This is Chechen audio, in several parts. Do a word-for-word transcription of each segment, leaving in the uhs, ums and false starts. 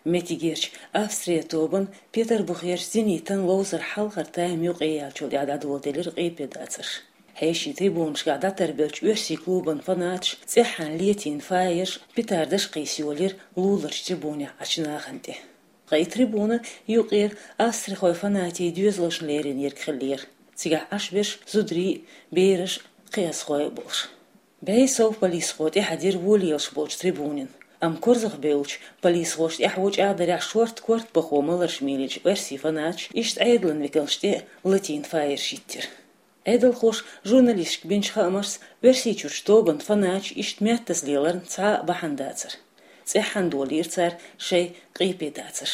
Меттигерчу Австрия тобан Петарбухерчу «Зенитан» ловзар хьалхара тайм юкъе яьллачул тӀаьхьа дӀадоладелира къепедацарш. Хьешийн трибунашкахь дӀатарбеллачу оьрсийн клубан фанаташ цӀеххьана летийна фаерш, петардаш а кхийса йолийра луларчу трибунехь Ӏачу нахана тӀе. Ткъа и трибуна юкъера австрихойн фанатийн доьзалшна лерина ерг хиллера. Цигахь Ӏаш берш зударий а, бераш а, кхиазхой а болуш. БӀе сов полисхо тӀаьхьадира волавелаш болчу трибунина. Амма корзагӀбевллачу полисхоша тӀаьхьо чӀагӀдарехь шортта корта бахо маларш мийлича оьрсийн фанаташ иштта Ӏедалан векалшна тӀе а латийна фаерш йиттира. Ӏедалхоша журналисташка бинчу хаамашца, Оьрсийчуьрчу тобанан фанаташ иштта меттаза леларна цхьа а бахьана дацара. ЦӀеххьана долийра цара шайн къепедацарш.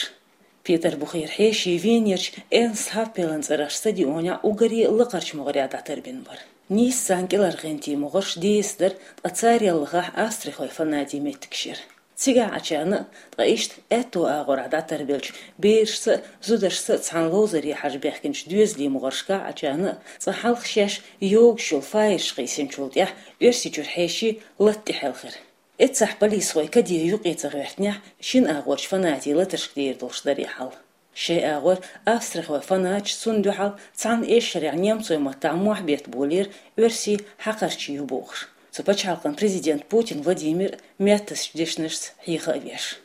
Петарбухера хьеший Венерчу Эрнст Хаппелан цӀарах стадионехь уггаре а лакхарчу могӀарехь дӀатарбина бара. Нийсса царна кӀелхьаргӀинтийн могӀарш дезаш дара, ткъа царел лахахь австрихойн фанатийн меттигаш яра. Цигахь Ӏачарна а, ткъа иштта аьтту агӀорахь дӀатарбеллачу берашца а, зударшца а цхьана ловзаре хьажа баьхкинчу доьзалийн могӀаршкахь Ӏачарна а, цкъа хьалха шаьш йогуш йолу фаерш кхийсинчул тӀаьхьа Оьрсийчуьра хьеший лата тӀе хьаьлхира. Эццахь полисхой каде юкъе ца гӀоьртинехь, шина агӀорчу фанатийн латаршка дийр долуш дарий хьал. Шайн агӀор австрихойн фанаташ цунна дуьхьал цхьана эшарехь немцойн маттахь мохь бетта болийра оьрсийн хьакхарчий ю бохуш, цу пачхьалкхан президент Путин Владимир меттазчу дешнашца хьеха а веш.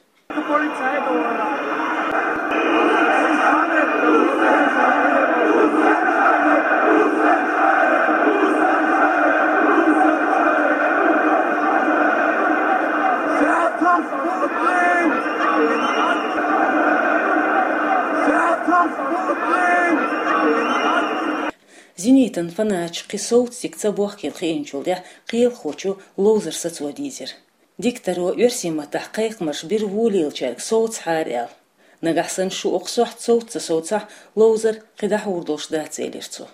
«Зенитан» фанаташ кхин совца дика ца бохкийла хиъначул тӀаьхьа кхелахочо ловзар сацо дийзира. Дикторо оьрсийн маттахь кхайкхамаш бира волавеллачаьрга совцахьара аьлла. Нагахь санна шу окху сохьта совца ца совцахь, ловзар кхин дӀахьур долуш дац, элира цо.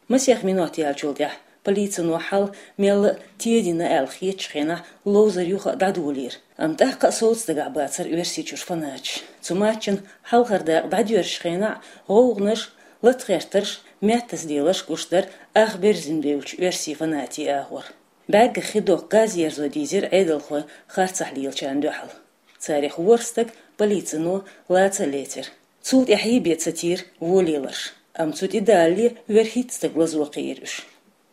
Масех минот яьллачул тӀаьхьа полицино хьал мелла а тедина аьлла хетачу хенахь ловзар юха а дӀадолийра. Амма тӀаккха а совца дагахь бацара Оьрсийчуьра фанаташ. Цу матчан хьалхара дакъа дӀадоьрзучу хенахь гӀовгӀанаш, латагӀертарш, меттаза леларш гуш дара ах берзина бевллачу оьрсийн фанатийн агӀор. БӀаьргах хи доккху газ ерзо дийзира Ӏедалхойн харцахь лелачарна дуьхьал. Царах ворхӀ стаг полицино лаца а лецира. Цул тӀаьхьа бен ца тийра волавеларш, амма цу тӀе далале верхӀитта стаг лазо кхиира уьш.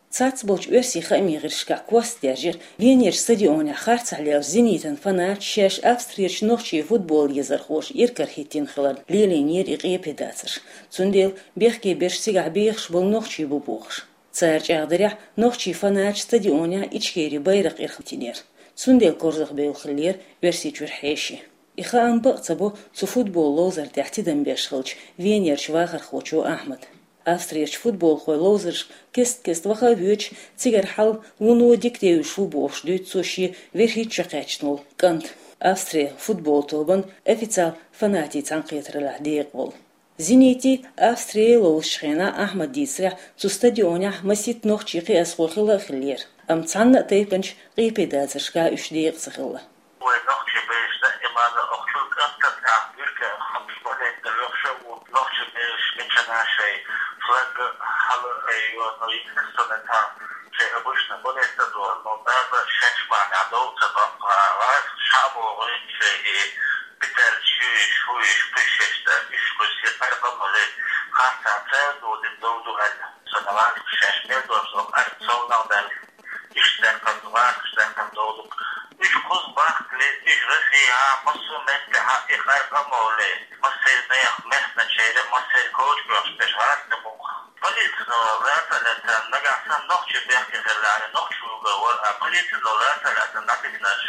Цхьацца болчу оьрсийн хаамийн гӀирсашкахь кост даьржира, Венерчу стадионехь харцахь леллачу «Зенитан» фанаташ шаьш Австрерчу нохчийн футбол езархоша иракарахӀиттийна хиларна лелийнера и къепедацарш. Цундела бехке берш цигахь бехаш болу нохчий бу бохуш. Цара чӀагӀдарехь, нохчийн фанаташ стадионехь Ичкерин байракх ирахӀиттинера. Цундела корзагӀбевлла хиллера Оьрсийчуьра хьеший. И хаам бакъ ца бо цу футбол ловзар тӀехь тидам беш хиллачу Венерчу вахархочо Ахьмада. Австрерчу футболхойн ловзаршка кест-кеста ваха а воьдуш, цигара хьал вуно дика девзаш ву бохуш дуьйцу цо шен верхӀитта шо кхаьчна волу кӀант, Австрин футбол тобан официал фанатийн цхьаьнакхетараллехь декъа волу. «Зенитий», «Австрий» ловзучу хенахь Ахьмада дийцарехь, цу стадионехь масийтта нохчийн кхиазхой хилла а хиллера, амма цхьанна а тайпанчу къепедацаршкахь уьш декъа ца хилла. Вайн нохчийн бераш даимана охчул кӀантана тӀехь буьрка а хьамаш болийта лоьхуш а ву, нохчийн бераш мичахь а шайн флаг а, хьала а йоьду, естественно, тхан шайн обычно болийта а дора, но даже шаьш бахьанехь дов ца баккха, гӀазкхаша а богӀуьйту шайн и питаллаш юйш, хуйш, пуьшеш дан, уьш кхуьссий къаркъа а молий, харцахь цара дудина дов ду аьлла. Сан гӀазкхаша шаьш мел дош ду къаркъа совнах даьлла, иштта даьккхина ду, гӀазкхаша даьккхина дов ду. Уьш кхуза бахкале, уьш Россехь а, массо а меттехь а и къаркъа а молий, массеран а мехкан чуьра, массеран а коча боьхуш берш гӀазкхий бу-кх. Полицино лаца а лаьцна, нагахь санна нохчий бехке хиллехьара, нохчо вуьгур вара, а полицино лаца а лаьцна дӀадигнарш,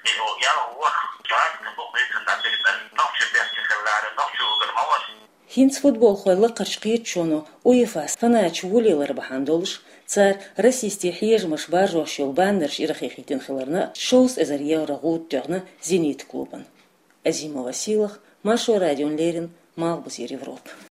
и о, ялх ворхӀ гӀазкхи бу-кх полицино дӀадигнарш, нохчий бехке хиллехьара, нохчо вуьгур ма вара. ХӀинца футболхойн лакхарчу кхеташоно УЕФА-с фанаташ волавелар бахьана долуш, цара расистийн хьежамаш баржош йолу баннерш ирахӀиттийна хиларна, шовзткъа эзар евро гӀуда тоьхна «Зенит» клубана. Азимова Сийлаха, Маршо радиона леррина, Малхбузера Европа.